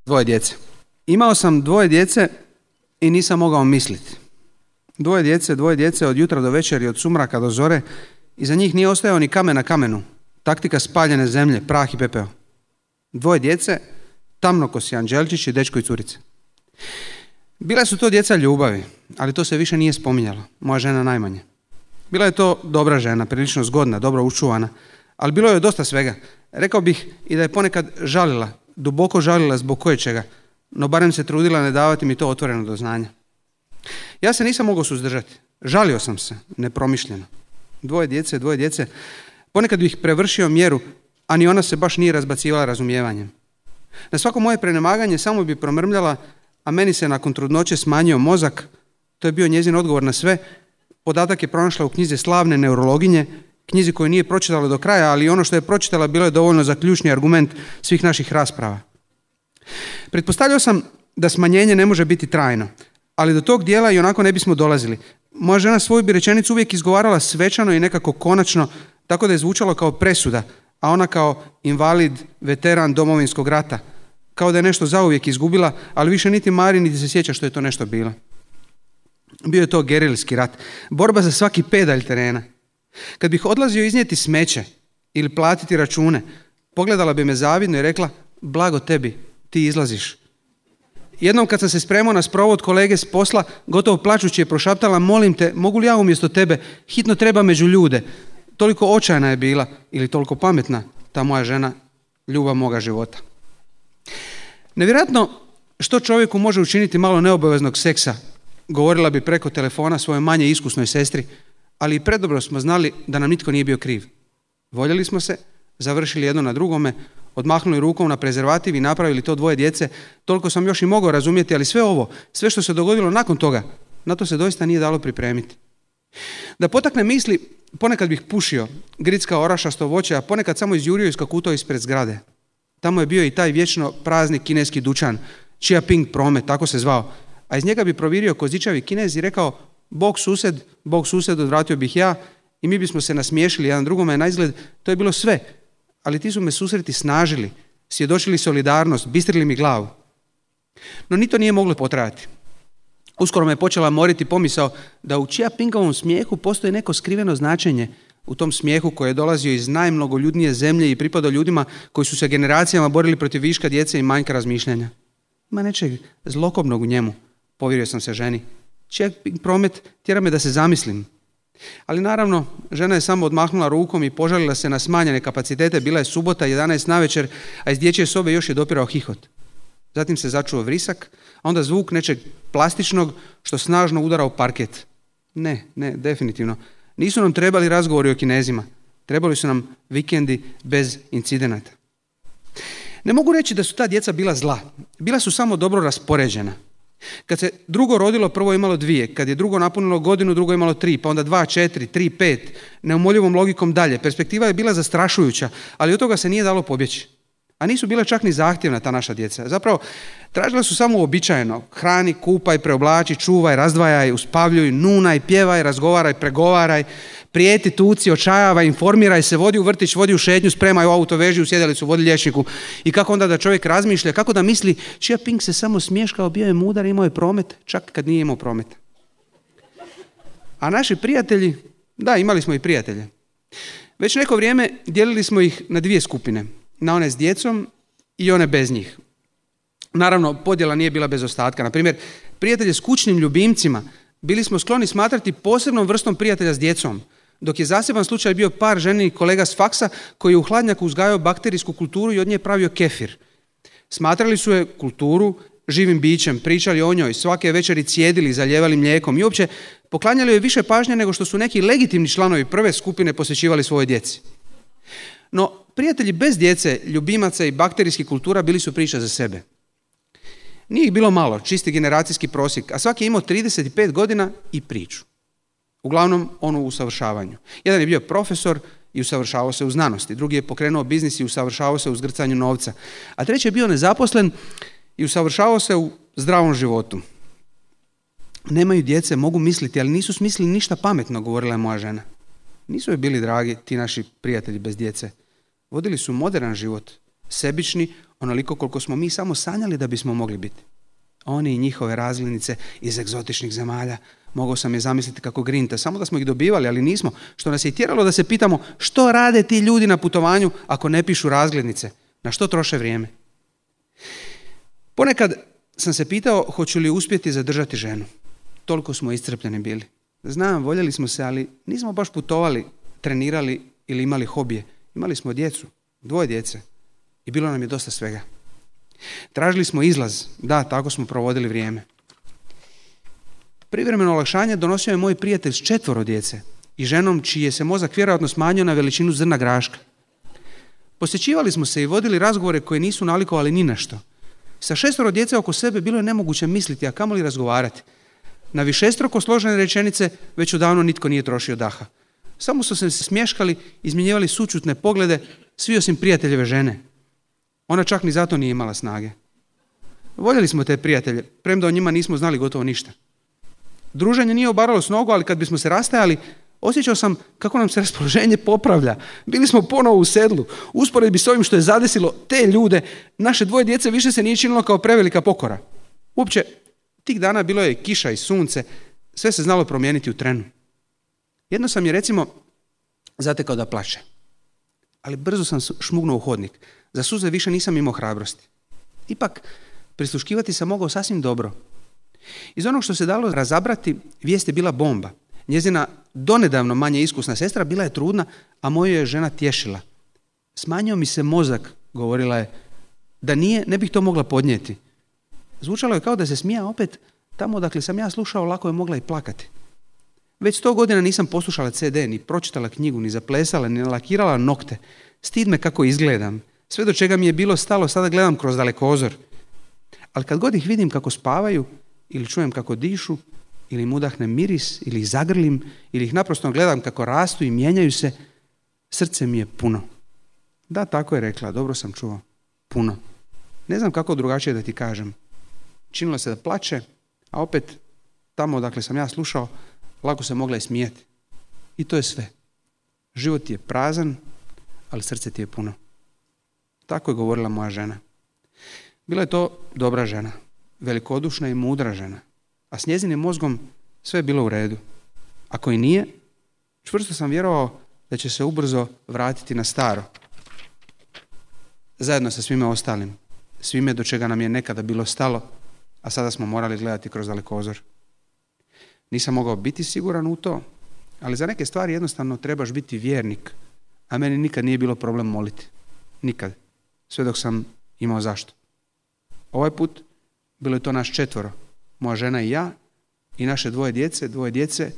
Dvoje djece. Imao sam dvoje djece i nisam mogao misliti. Dvoje djece od jutra do večeri, od sumraka do zore. Iza njih nije ostajao ni kamen na kamenu. Taktika spaljene zemlje, prah i pepeo. Dvoje djece, tamnokosi anđelčić i dečko i curice. Bila su to djeca ljubavi, ali to se više nije spominjalo. Moja žena najmanje. Bila je to dobra žena, prilično zgodna, dobro učuvana, ali bilo je dosta svega. Rekao bih i da je ponekad žalila, duboko žalila zbog koječega, no barem se trudila ne davati mi to otvoreno do znanja. Ja se nisam mogao suzdržati. Žalio sam se, nepromišljeno. Dvoje djece, ponekad bih prevršio mjeru, a ni ona se baš nije razbacivala razumijevanjem. Na svako moje prenemaganje samo bi promrmljala, a meni se nakon trudnoće smanjio mozak. To je bio njezin odgovor na sve. Podatak je pronašla u knjizi slavne neurologinje, knjizi koju nije pročitala do kraja, ali ono što je pročitala bilo je dovoljno za ključni argument svih naših rasprava. Pretpostavljao sam da smanjenje ne može biti trajno, ali do tog dijela i onako ne bismo dolazili. Moja žena svoju bi rečenicu uvijek izgovarala svečano i nekako konačno, tako da je zvučalo kao presuda, a ona kao invalid, veteran Domovinskog rata. Kao da je nešto zauvijek izgubila, ali više niti mari, niti se sjeća što je to nešto bilo. Bio je to gerilski rat, borba za svaki pedalj terena. Kad bih odlazio iznijeti smeće ili platiti račune, pogledala bi me zavidno i rekla, blago tebi, ti izlaziš. Jednom kad sam se spremao na sprovod kolege s posla, gotovo plačući je prošaptala, molim te, mogu li ja umjesto tebe, hitno treba među ljude. Toliko očajna je bila, ili toliko pametna, ta moja žena, ljubav moga života. Nevjerojatno što čovjeku može učiniti malo neobaveznog seksa, govorila bi preko telefona svojoj manje iskusnoj sestri, ali i predobro smo znali da nam nitko nije bio kriv. Voljeli smo se, završili jedno na drugome, odmahnuli rukom na prezervativ i napravili to dvoje djece. Toliko sam još i mogao razumjeti, ali sve što se dogodilo nakon toga, na to se doista nije dalo pripremiti. Da potakne misli, ponekad bih pušio, grickao orašasto voće, a ponekad samo izjurio i skakutao ispred zgrade. Tamo je bio i taj vječno prazni kineski dućan, Chia Ping Promet, tako se zvao, a iz njega bi provirio kozičavi Kinez i rekao, Bog sused, odvratio bih ja, i mi bismo se nasmiješili jedan drugome, na izgled to je bilo sve, ali ti su me susreti snažili, svjedočili solidarnost, bistrili mi glavu. No ni to nije moglo potrajati. Uskoro me je počela moriti pomisao da u Chia Pingovom smijehu postoji neko skriveno značenje, u tom smijehu koji je dolazio iz najmnogoljudnije zemlje i pripadao ljudima koji su se generacijama borili protiv viška djece i manjka razmišljanja. Ima nečeg zlokobnog u njemu, povjerio sam se ženi. Chia Ping Promet tjera me da se zamislim. Ali naravno, žena je samo odmahnula rukom i požalila se na smanjene kapacitete. Bila je subota, 11 navečer, a iz dječje sobe još je dopirao hihot. Zatim se začuo vrisak, a onda zvuk nečeg plastičnog što snažno udara u parket. Ne, definitivno. Nisu nam trebali razgovori o Kinezima. Trebali su nam vikendi bez incidenata. Ne mogu reći da su ta djeca bila zla. Bila su samo dobro raspoređena. Kad se drugo rodilo, prvo je imalo 2. Kad je drugo napunilo godinu, drugo je imalo 3. Pa onda 2, 4, 3, 5. Neumoljivom logikom dalje. Perspektiva je bila zastrašujuća, ali od toga se nije dalo pobjeći. A nisu bila čak ni zahtjevna ta naša djeca. Zapravo, tražila su samo uobičajeno. Hrani, kupaj, preoblači, čuvaj, razdvajaj, uspavljuj, nunaj, pjevaj, razgovaraj, pregovaraj, prijeti, tuci, očajavaj, informiraj se, vodi u vrtić, vodi u šetnju, spremaj u auto, veži u sjedalicu, vodi liječniku. I kako onda da čovjek razmišlja, kako da misli, Chia Ping se samo smješkao, bio je mudar, imao je promet, čak kad nije imao prometa. A naši prijatelji, da, imali smo i prijatelje. Već neko vrijeme dijelili smo ih na 2 skupine. Na one s djecom i one bez njih. Naravno, podjela nije bila bez ostatka. Na primjer, prijatelje s kućnim ljubimcima bili smo skloni smatrati posebnom vrstom prijatelja s djecom, dok je zaseban slučaj bio par ženinih kolega s faksa koji je u hladnjaku uzgajao bakterijsku kulturu i od nje pravio kefir. Smatrali su je kulturu živim bićem, pričali o njoj, svake večeri cijedili, zalijevali mlijekom i uopće poklanjali joj više pažnje nego što su neki legitimni članovi prve skupine posvećivali svojoj djeci. No, prijatelji bez djece, ljubimaca i bakterijskih kultura bili su priča za sebe. Nije ih bilo malo, čisti generacijski prosjek, a svaki je imao 35 godina i priču. Uglavnom, onu u usavršavanju. Jedan je bio profesor i usavršavao se u znanosti, drugi je pokrenuo biznis i usavršavao se u zgrcanju novca, a treći je bio nezaposlen i usavršavao se u zdravom životu. Nemaju djece, mogu misliti, ali nisu smislili ništa pametno, govorila je moja žena. Nisu joj bili dragi ti naši prijatelji bez djece. Vodili su moderan život, sebični, onoliko koliko smo mi samo sanjali da bismo mogli biti. Oni i njihove razglednice iz egzotičnih zemalja, mogao sam je zamisliti kako grinta, samo da smo ih dobivali, ali nismo, što nas je tjeralo da se pitamo što rade ti ljudi na putovanju ako ne pišu razglednice, na što troše vrijeme. Ponekad sam se pitao hoću li uspjeti zadržati ženu. Toliko smo iscrpljeni bili. Znam, voljeli smo se, ali nismo baš putovali, trenirali ili imali hobije. Imali smo djecu, 2 djece i bilo nam je dosta svega. Tražili smo izlaz, da, tako smo provodili vrijeme. Privremeno olakšanje donosio je moj prijatelj s 4 djece i ženom čiji je se mozak vjerojatno smanjio na veličinu zrna graška. Posjećivali smo se i vodili razgovore koje nisu nalikovali ni na što. Sa 6 djece oko sebe bilo je nemoguće misliti, a kamoli razgovarati. Na višestruko složene rečenice već odavno nitko nije trošio daha. Samo su se smješkali, izmjenjivali sućutne poglede, svi osim prijateljeve žene. Ona čak ni zato nije imala snage. Voljeli smo te prijatelje, premda o njima nismo znali gotovo ništa. Druženje nije obaralo s nogu, ali kad bismo se rastajali, osjećao sam kako nam se raspoloženje popravlja. Bili smo ponovo u sedlu. Usporedbi s ovim što je zadesilo te ljude, naše 2 djece više se nije činilo kao prevelika pokora. Uopće, tih dana bilo je kiša i sunce, sve se znalo promijeniti u trenu. Jedno sam je, recimo, zatekao da plače. Ali brzo sam šmugnuo u hodnik. Za suze više nisam imao hrabrosti. Ipak, prisluškivati sam mogao sasvim dobro. Iz onog što se dalo razabrati, vijest je bila bomba. Njezina donedavno manje iskusna sestra bila je trudna, a moju je žena tješila. Smanjio mi se mozak, govorila je, da nije, ne bih to mogla podnijeti. Zvučalo je kao da se smija opet, tamo odakle sam ja slušao lako je mogla i plakati. Već 100 godina nisam poslušala CD, ni pročitala knjigu, ni zaplesala, ni lakirala nokte. Stid me kako izgledam. Sve do čega mi je bilo stalo sada gledam kroz dalekozor. Ali kad god ih vidim kako spavaju, ili čujem kako dišu, ili im udahnem miris, ili ih zagrlim, ili ih naprosto gledam kako rastu i mijenjaju se, srce mi je puno. Da, tako je rekla, dobro sam čuo. Puno. Ne znam kako drugačije da ti kažem. Činilo se da plače, a opet tamo odakle sam ja slušao, lako se mogla i smijeti. I to je sve. Život ti je prazan, ali srce ti je puno. Tako je govorila moja žena. Bila je to dobra žena, velikodušna i mudra žena, a s njezinim mozgom sve je bilo u redu. Ako i nije, čvrsto sam vjerovao da će se ubrzo vratiti na staro. Zajedno sa svime ostalim, svime do čega nam je nekada bilo stalo, a sada smo morali gledati kroz dalekozor. Nisam mogao biti siguran u to, ali za neke stvari jednostavno trebaš biti vjernik, a meni nikad nije bilo problem moliti. Nikad. Sve dok sam imao zašto. Ovaj put bilo je to nas 4, moja žena i ja, i naše 2 djece,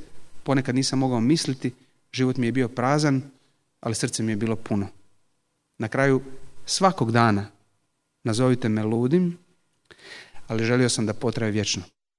ponekad nisam mogao misliti, život mi je bio prazan, ali srce mi je bilo puno. Na kraju svakog dana, nazovite me ludim, ali želio sam da potraje vječno.